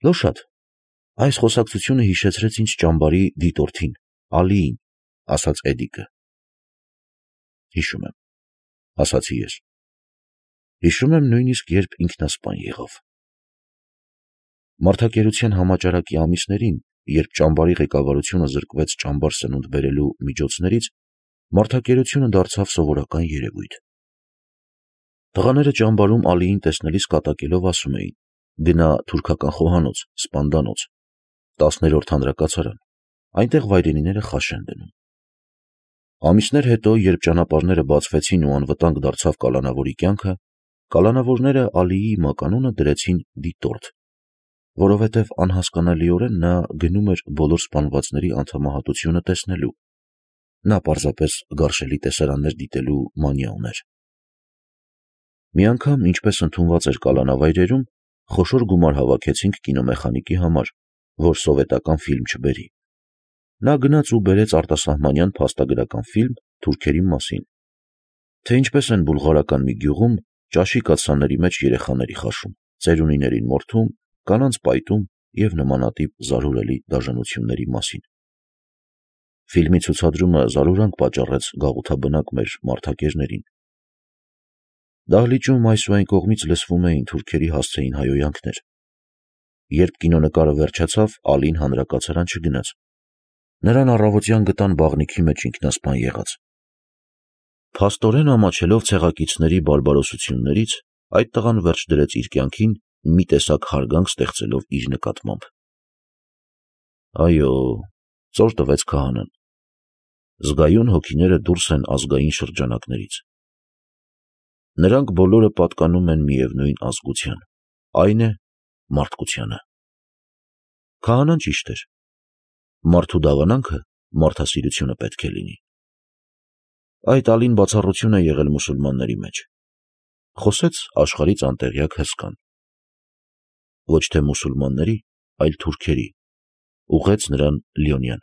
Լոշադ, այս խոսակցությունը հիշեցրեց ինձ ճամբարի դիտորդին, Ալիին, ասաց Էդիկը։ Հիշում եմ, ասացի ես։ Հիշում եմ նույնիսկ, երբ ինքնասպան եղավ։ Մարդակերության համաճարակի ամիսներին, երբ ճամբարի ղեկավարությունը զրկվեց ճամբար սնունդ բերելու միջոցներից, մարդակերությունը դարձավ սովորական երևույթ։ Տղաները ճամբարում Ալիին տեսնելիս կատակելով ասում էին. գնա թուրքական խոհանոց, սպանդանոց, 10-րդ հանրակացարան, այնտեղ վայրենիները խաշ են դնում։ Ամիսներ հետո, երբ ճանապարհները բացվեցին ու անվտանգ դարձավ կալանավորի կյանքը, կալանավորները Ալիի մականունը դրեցին դիտորդ, որովհետև անհասկանալիորեն նա գնում էր բոլոր սպանվածների անդամահատությունը տեսնելու։ Նա պարզապես գարշելի տեսարաններ դիտելու մանիա ուներ։ Մի անգամ, ինչպես ընդունված էր կալանավայրերում, խոշոր գումար հավաքեցինք կինոմեխանիկի համար, որ սովետական ֆիլմ չբերի։ Նա գնաց ու բերեց արտասահմանյան փաստագրական ֆիլմ թուրքերի մասին, թե ինչպես են բուլղարական մի գյուղում ճաշի կաթսաների մեջ երեխաների խաշում, ծերունիներին մորթում, կանանց պայտում և նմանատիպ զարհուրելի դաժանությունների մասին։ Ֆիլմի ցուցադրումը զարհուրանք պատճառեց գաղութաբնակ մեր մարդակերներին։ Դահլիճում այս ու այն կողմից լսվում էին թուրքերի հասցեին հայհոյանքներ։ Երբ կինոնկարը վերջացավ, Ալին հանրակացարան չգնաց։ Նրան առավոտյան գտան բաղնիքի մեջ ինքնասպան եղած։ Փաստորեն ամաչելով ցեղակիցների բարբարոսություններից, այդ տղան վերջ դրեց իր կյանքին, մի տեսակ հարգանք ստեղծելով իր նկատմամբ։ Այո, ծոր տվեց քահանան։ Զգայուն հոգիները դուրս են ազգային շրջանակներից։ Նրանք բոլորը պատկանում են միևնույն ազգության, այն է մարդկությանը։ Քահանան ճիշտ էր։ Մարդու դավանանքը մարդասիրությունը պետք է լինի։ Այդ Ալին բացառություն է եղել մուսուլմանների մեջ։ Խոսեց աշխարհից անտեղյակ հսկան։ Ոչ թե մուսուլմանների, այլ թուրքերի, ուղղեց նրան Լյոնյան։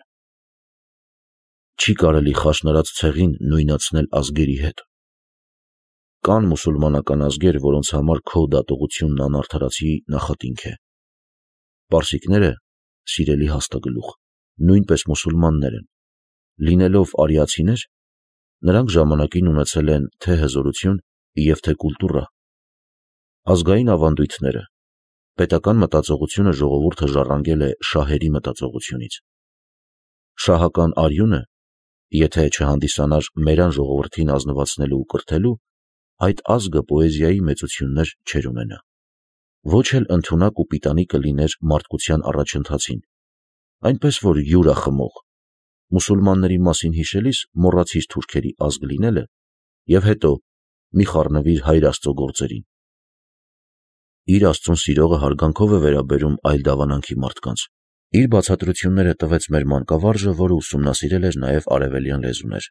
Չի կարելի խաշնարած ցեղին նույնացնել ազգերի հետ։ Կան մուսուլմանական ազգեր, որոնց համար քո դատողությունն անարդարացի նախատինք է։ Պարսիկները, սիրելի հաստագլուխ, նույնպես մուսուլմաններ են։ Լինելով արիացիներ, նրանք ժամանակին ունեցել են թե հզորություն և թե կուլտուրա։ Ազգային ավանդույթները, պետական մտածողությունը ժողովուրդը ժառանգել է շահերի մտածողությունից։ Շահական արյունը, եթե չհանդիսանար մերան ժողովրդին ազնվացնելու ու կրթելու, այդ ազգը պոեզիայի մեծություններ չէր ունենա։ Ոչ էլ ընդունակ ու պիտանի կլիներ մարդկության առաջընթացին, այնպես որ յուրախմող, մուսուլմանների մասին հիշելիս մոռացիր թուրքերի ազգ լինելը և հետո մի խառնվիր Հայր Աստծո գործերին։ Իր Աստծուն սիրողը հարգանքով է վերաբերում այլ դավանանքի մարդկանց։ Իր բացատրությունները տվեց մեր մանկավարժը, որը ուսումնասիրել էր նաև արևելյան լեզուներ։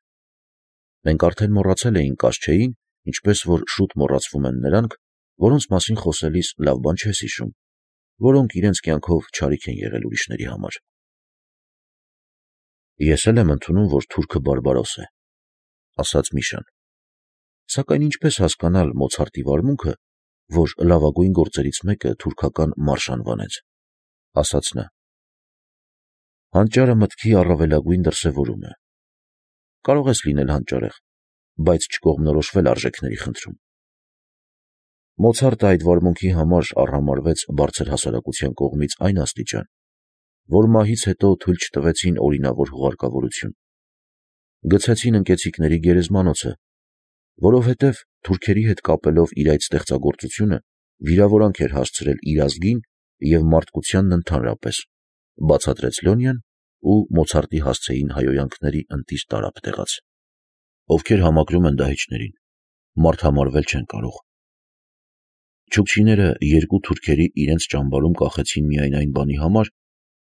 Մենք արդեն մոռացել էինք կաշչեին, ինչպես որ շուտ մոռացվում են նրանք, որոնց մասին խոսելիս լավ բան չես հիշում, որոնք իրենց կյանքով չարիք են եղել ուրիշների համար։ Ես էլ եմ ընդունում, որ թուրքը բարբարոս է, ասաց Միշան։ Սակայն ինչպես հասկանալ Մոցարտի վարմունքը, որ լավագույն գործերից մեկը թուրքական մարշ անվանեց, ասաց նա։ Հանճարը մտքի առավելագույն դրսևորում է։ Կարող ես լինել հանճարեղ, բայց չկողմնորոշվել արժեքների խնդրում։ Մոցարտը այդ վարմունքի համար արհամարհվեց բարձր հասարակության կողմից այն աստիճան, որ մահից հետո թույլ չտվեցին օրինավոր հուղարկավորություն։ Գցեցին ընկեցիկների գերեզմանոցը, որովհետև թուրքերի հետ կապելով իր այդ ստեղծագործությունը վիրավորանք էր հասցրել իր ազգին և մարդկությանն ընդհանրապես, բացատրեց Լյոնյան ու Մոցարտի հասցեին հայհոյանքների ընտիր տարափ տեղաց։ Ովքեր համակրում են դահիճներին, մարդհամարվել չեն կարող։ Չուկչիները երկու թուրքերի իրենց ճամբարում կախեցին միայն այն բանի համար,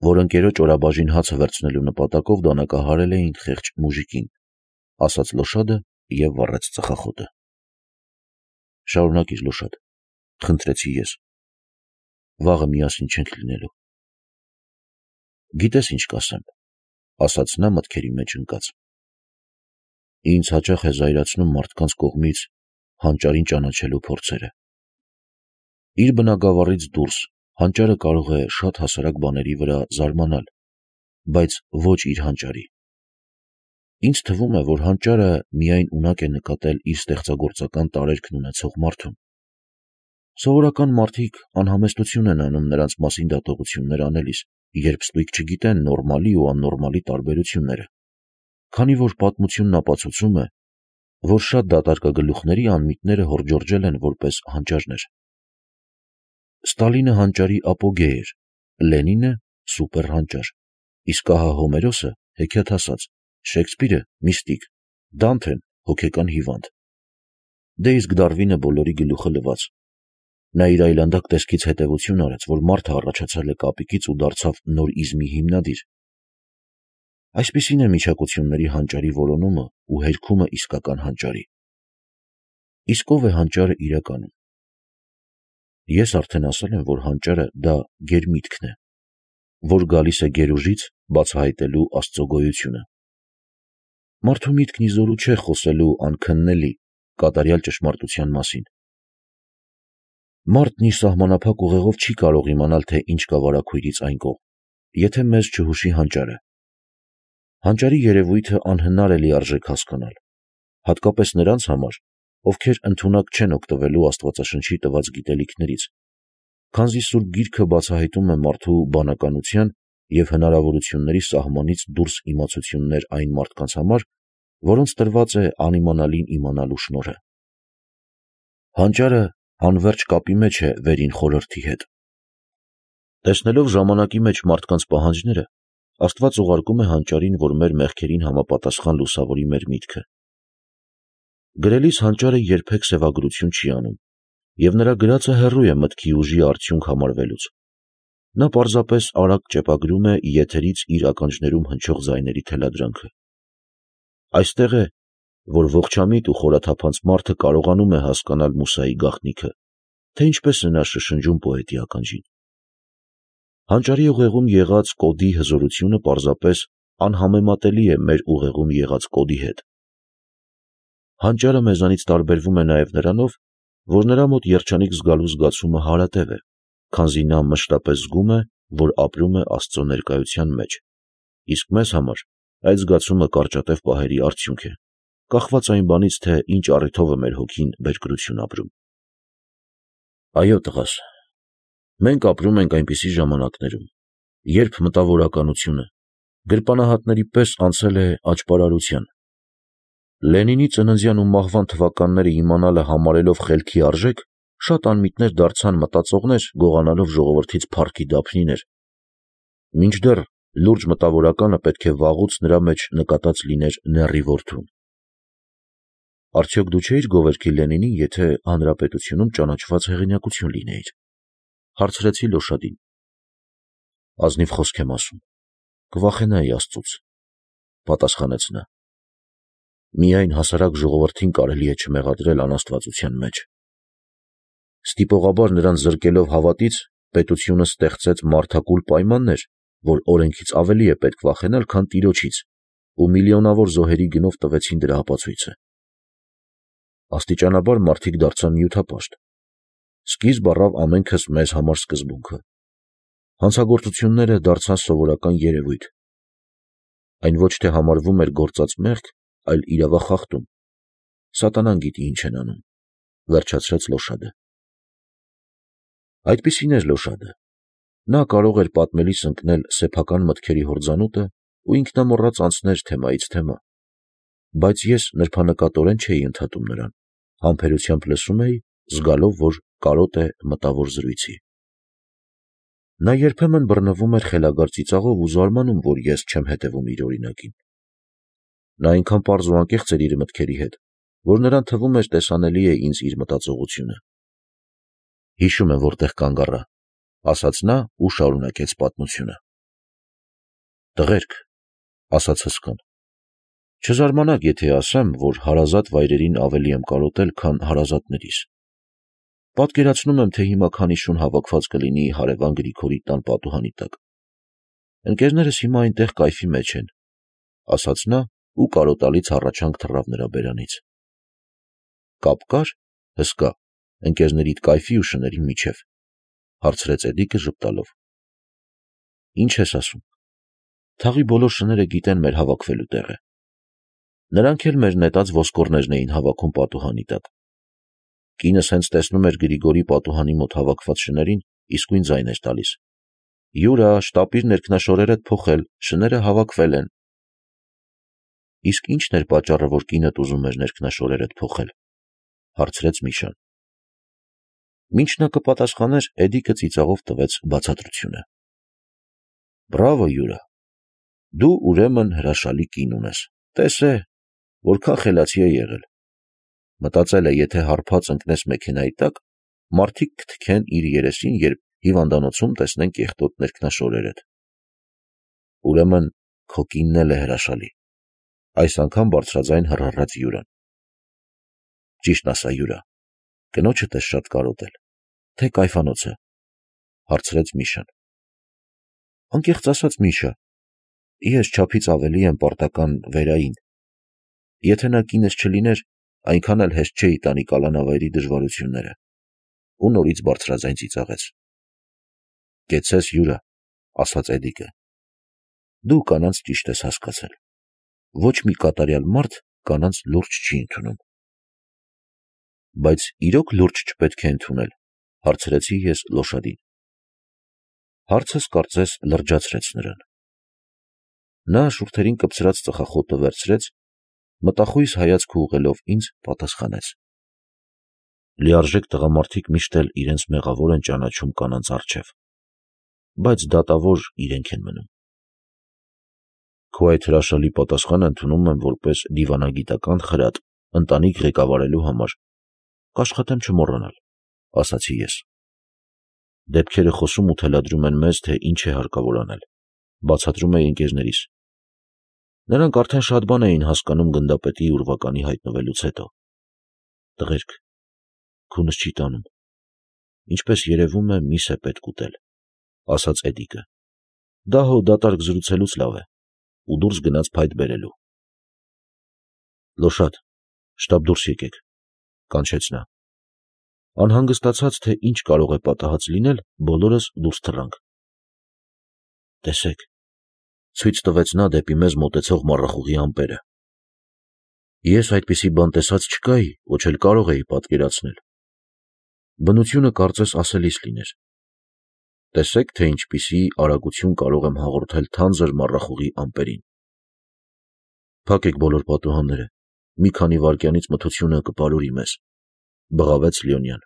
որ ընկերոջ օրաբաժին հացը վերցնելու նպատակով դանակահարել էին խեղճ մուժիկին, ասաց Լոշադը և վառեց ծխախոտը։ Շարունակիր, Լոշադ, խնդրեցի ես։ Վաղը միասին չենք լինելու։ Գիտես ինչ կասեմ, ասաց նա մտքերի մեջ ընկած։ Ինձ հաճախ է զայրացնում մարդկանց կողմից հանճարին ճանաչելու փորձերը։ Իր բնագավառից դուրս, Հանճարը կարող է շատ հասարակ բաների վրա զարմանալ, բայց ոչ իր հանճարի։ Ինձ թվում է, որ հանճարը միայն ունակ է նկատել իր ստեղծագործական տարերքն ունեցող մարդուն։ Սովորական մարդիկ անհամեստություն են անում նրանց մասին դատողություններ անելիս, երբ ստույգ չգիտեն նորմալի ու աննորմալի տարբերությունները, քանի որ պատմությունն ապացուցում է, որ շատ դատարկագլուխների անմիտները հորջորջել են որպես հանճարներ։ Ստալինը հանճարի ապոգեյ էր, Լենինը սուպեր հանճար, իսկ ահա Հոմերոսը հեքիաթասաց, Շեքսպիրը միստիկ, Դանթեն հոգեկան հիվանդ։ Դե իսկ Դարվինը բոլորի գլուխը լված։ Նա իր այլանդակ տեսքից հետևություն արեց, որ մարդը առաջացել է կապիկից ու դարձավ նոր իզմի հիմնադիր։ Այսպիսին է միջակությունների հանճարի որոնումը ու հերքումը իսկական հանճարի։ Իսկ ով է հանճարը իրականում։ Ես արդեն ասել եմ, որ հանճարը դա գերմիտքն է, որ գալիս է գերուժից բացահայտելու Աստծո գոյությունը։ Մարդու միտքն ի զորու չէ խոսելու անքննելի, կատարյալ ճշմարտության մասին։ Մարդն իր սահմանափակ ուղեղով չի կարող իմանալ, թե ինչ կա վարագույրից այն կողմ, եթե մեզ չհուշի հանճարը։ Հանճարի երևույթը անհնար է լիարժեք հասկանալ, հատկապես նրանց համար, ովքեր ընդունակ չեն օգտվելու Աստվածաշնչի տված գիտելիքներից, քանզի Սուրբ Գիրքը բացահայտում է մարդու բանականության և հնարավորությունների սահմանից դուրս իմացություններ այն մարդկանց համար, որոնց տրված է անիմանալին իմանալու շնորհը։ Հանճարը անվերջ կապի մեջ է վերին խորհրդի հետ։ Տեսնելով ժամանակի մեջ մարդկանց պահանջները, Աստված ուղարկում է հանճարին, որ մեր մեղքերին համապատասխան լուսավորի մեր միտքը։ Գրելիս հանճարը երբեք սևագրություն չի անում, և նրա գրածը հեռու է մտքի ուժի արդյունք համարվելուց։ Նա պարզապես արագ ճեպագրում է եթերից իր ականջներում հնչող ձայների թելադրանքը։ Այստեղ է, որ ողջամիտ ու խորաթափանց մարդը կարողանում է հասկանալ Մուսայի գաղտնիքը, թե ինչպես է նա շշնջում պոետի ականջին։ Հանճարի ուղեղում եղած կոդի հզորությունը պարզապես անհամեմատելի է մեր ուղեղում եղած կոդի հետ։ Հանճարը մեզանից տարբերվում է նաև նրանով, որ նրա մոտ երջանիկ զգալու զգացումը հարատև է, քանզի նա մշտապես զգում է, որ ապրում է Աստծո ներկայության մեջ, իսկ մեզ համար այդ զգացումը կարճատև պահերի արդյունք է, կախված այն բանից, թե ինչ առիթով է մեր հոգին բերկրություն ապրում։ Այո, տղաս, մենք ապրում ենք այնպիսի ժամանակներում, երբ մտավորականությունը գրպանահատների պես անցել է աճպարարության։ Լենինի ծննդյան ու մահվան թվականները իմանալը համարելով խելքի արժեք, շատ անմիտներ դարձան մտածողներ, գողանալով ժողովրդից փառքի դափնիներ, մինչդեռ լուրջ մտավորականը պետք է վաղուց նրա մեջ նկատած լիներ նեռի որդուն։ Արդյոք դու չէիր գովերքի Լենինին, եթե հանրապետությունում ճանաչված հեղինակություն լինեիր, հարցրեցի Լոշադին։ Ազնիվ խոսք եմ ասում, կվախենայի Աստծուց, պատասխանեց նա։ Միայն հասարակ ժողովրդին կարելի է չմեղադրել անաստվածության մեջ։ Ստիպողաբար նրան զրկելով հավատից, պետությունը ստեղծեց մարդակուլ պայմաններ, որ օրենքից ավելի է պետք վախենալ, քան Տիրոջից, ու միլիոնավոր զոհերի գնով տվեցին դրա ապացույցը։ Աստիճանաբար մարդիկ դարձան նյութապաշտ։ Սկիզբ առավ ամենքս մեզ համար սկզբունքը։ Հանցագործությունները դարձան սովորական երևույթ։ Այն ոչ թե համարվում էր գործած մեղք, այլ իրավախախտում։ Սատանան գիտի ինչ են անում, վերջացրեց Լոշադը։ Այդպիսին էր Լոշադը։ Նա կարող էր պատմելիս ընկնել սեփական մտքերի հորձանուտը ու ինքնամոռաց անցներ թեմայից թեմա, բայց ես նրբանկատորեն չէի ընդհատում նրան, համբերությամբ լսում էի, զգալով, որ կարոտ է մտավոր զրույցի։ Նա երբեմն բռնվում էր խելագար ծիծաղով ու զարմանում, որ ես չեմ հետևում իր օրինակին։ Նա այնքան պարզ ու անկեղծ էր իր մտքերի հետ, որ նրան թվում էր տեսանելի է ինձ իր մտածողությունը։ Հիշում եմ որտեղ կանգ առա, ասաց նա ու շարունակեց պատմությունը։ Տղերք, ասաց հսկան, չզարմանաք, եթե ասեմ, որ հարազատ վայրերին ավելի եմ կարոտել, քան հարազատներիս։ Պատկերացնում եմ, թե հիմա քանի շուն հավաքված կլինի հարևան Գրիգորի տան պատուհանի տակ։ Ընկերներս հիմա այնտեղ կայֆի մեջ են, ասաց նա ու կարոտալից հառաչանք թռավ նրա բերանից։ Կապ կար, հսկա, ընկերներիդ կայֆի ու շների միջև։ հարցրեց Էդիկը ժպտալով։ Ինչ ես ասում։ Թաղի բոլոր շները գիտեն մեր հավաքվելու տեղը։ Նրանք էլ մեր նետած ոսկորներն էին հավաքում պատուհանի տակ։ Կինս հենց տեսնում էր Գրիգորի պատուհանի մոտ հավաքված շներին, իսկույն ձայն էր տալիս։ Յուրա, շտապիր ներքնաշորերդ փոխել, շները հավաքվել են։ Իսկ ի՞նչն էր պատճառը, որ կինդ ուզում էր ներքնաշորերդ փոխել, հարցրեց Միշան։ Մինչ նա կպատասխաներ, Էդիկը ծիծաղով տվեց բացատրությունը։ Բրավո, Յուրա, դու ուրեմն հրաշալի կին ունես, տեսե, որքան խելացի է եղել։ Մտածել է, եթե հարբած ընկնես մեքենայի տակ, մարդիկ կթքեն իր երեսին, երբ հիվանդանոցում տեսնեն կեղտոտ ներքնաշորերդ։ Ուրեմն քո կինն էլ է հրաշալի, այս անգամ բարձրաձայն հռհռաց Յուրան։ Ճիշտն ասա, Յուրա, կնոջդ ես շատ կարոտել, թե կայֆանոցը, հարցրեց Միշան։ Անկեղծ ասած, Միշա, ես չափից ավելի եմ պարտական Վերային։ Եթե նա կինս չլիներ, այնքան էլ հեշտ չէի տանի կալանավայրի դժվարությունները։ Ու նորից բարձրաձայն ծիծաղեց։ Կեցես, Յուրա, ասաց Էդիկը։ Դու կանանց ճիշտ ես հասկացել։ Ոչ մի կատարյալ մարդ կանանց լուրջ չի ընդունում։ Բայց իրոք լուրջ չպետք է ընդունել, հարցրեցի ես Լոշադին։ Հարցս կարծես լրջացրեց նրան։ Նա շուրթերին կպցրած ծխախոտը վերցրեց, մտախույս հայացք ուղղելով ինձ, պատասխանեց. Լիարժեք տղամարդիկ միշտ էլ իրենց մեղավոր են ճանաչում կանանց առջև, բայց դատավոր իրենք են մնում։ Քո այդ հրաշալի պատասխանը ընդունում եմ որպես դիվանագիտական խրատ ընտանիք ղեկավարելու համար, կաշխատեմ չմոռանալ, ասացի ես։ Դեպքերը խոսում ու թելադրում են մեզ, թե ինչ է հարկավոր անել, բացատրում էի ընկերներիս։ Նրանք արդեն շատ բան էին հասկանում գնդապետի ուրվականի հայտնվելուց հետո։ Տղերք, քունս չի տանում։ Ինչպես երևում է, միս է պետք ուտել, ասաց Էդիկը։ Դա հո դատարկ զրուցելուց լավ է, ու դուրս գնաց փայտ բերելու։ Լոշադ, շտապ դուրս եկեք, կանչեց նա։ Անհանգստացած, թե ինչ կարող է պատահած լինել, բոլորս դուրս թռանք։ Տեսեք, ցույց տվեց նա դեպի մեզ մոտեցող մառախուղի ամպերը։ Ես այդպիսի բան տեսած չկայի, ոչ էլ կարող էի պատկերացնել։ Բնությունը կարծես ասելիս լիներ։ Տեսեք, թե ինչպիսի արագություն կարող եմ հաղորդել թանձր մառախուղի ամպերին։ Փակեք բոլոր պատուհանները, մի քանի վայրկյանից մթությունը կպարուրի մեզ, բղավեց Լեոնյան։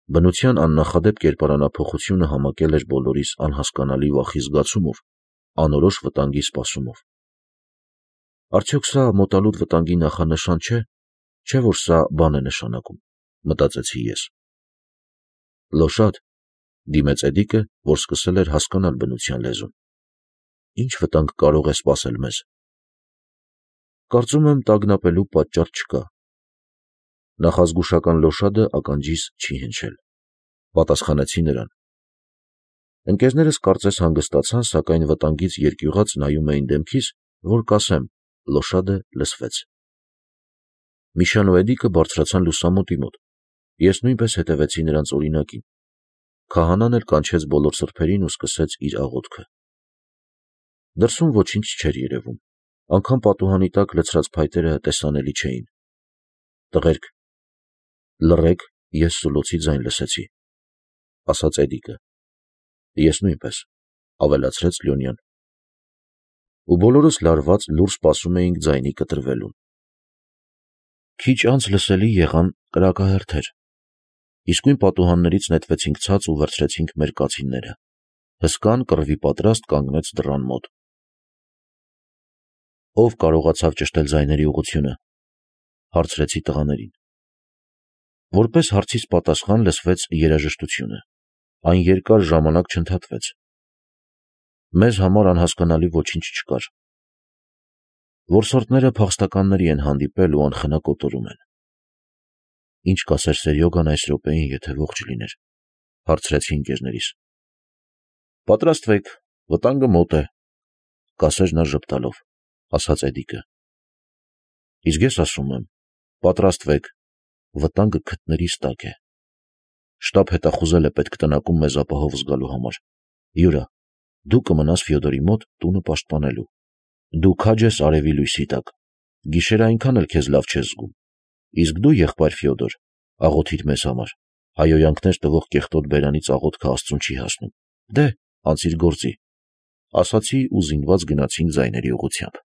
Բնության աննախադեպ կերպարանափոխությունը համակել էր բոլորիս անհասկանալի վախի զգացումով, անորոշ վտանգի սպասումով։ Արդյոք սա մոտալուտ վտանգի նախանշան չէ, չէ՞ որ սա բան է նշանակում, մտածեցի ես։ Լոշադ, դիմեց Էդիկը, որ սկսել էր հասկանալ բնության լեզուն։ Ինչ վտանգ կարող է սպասել մեզ։ Կարծում եմ տագնապելու պատճառ չկա։ Նախազգուշական Լոշադը ականջիս չի հնչել, պատասխանեցի նրան։ Ընկերներս կարծես հանգստացան, սակայն վտանգից երկյուղած նայում էին դեմքիս, որ կասեմ, Լոշադը լսվեց։ Միշան ու Էդիկը բարձրացան լուսամուտի մոտ։ Ես նույնպես հետևեցի նրանց օրինակին։ Քահանան էլ կանչեց բոլոր սրբերին ու սկսեց իր աղոթքը։ Դրսում ոչինչ չէր երևում, անգամ պատուհանի տակ լցրած փայտերը տեսանելի չէին։ Տղերք, լռեք, ես սուլոցի ձայն լսեցի, ասաց Էդիկը։ Ես նույնպես, ավելացրեց Լեոնյան։ Ու բոլորս լարված լուր սպասում էինք ձայնի կտրվելուն։ Քիչ անց լսելի եղան կրակահերթեր։ Իսկույն պատուհաններից նետվեցինք ցած ու վերցրեցինք մեր կացինները։ Հսկան կռվի պատրաստ կանգնեց դռան մոտ։ Ով կարողացավ ճշտել ձայների ուղղությունը, հարցրեցի տղաներին։ Որպես հարցիս պատասխան լսվեց երաժշտությունը։ Այն երկար ժամանակ չընդհատվեց։ Մեզ համար անհասկանալի ոչինչ չկար։ Որսորդները փախստականների են հանդիպել ու անխնա կոտորում են։ Ինչ կասեր Սերյոգան այս րոպեին, եթե ողջ լիներ, հարցրեցի ընկերներիս։ Պատրաստվեք, վտանգը մոտ է, կասեր նա ժպտալով, ասաց Էդիկը։ Իսկ ես ասում եմ, պատրաստվեք, վտանգը քթներիս տակ է։ Շտապ հետախուզել է պետք տնակում մեզ ապահով զգալու համար։ Յուրա, դու կմնաս Ֆյոդորի մոտ տունը պաշտպանելու։ Դու քաջ ես արևի լույսի տակ։ Գիշերը այնքան էլ քեզ լավ չես զգում։ Իսկ դու, եղբայր Ֆյոդոր, աղոթիր մեզ համար։ Հայհոյանքներ տվող կեղտոտ բերանից աղոթքը Աստծուն չի հասնում։ Դե, անցիր գործի, ասացի ու զինված գնացինք ձայների ուղղությամբ։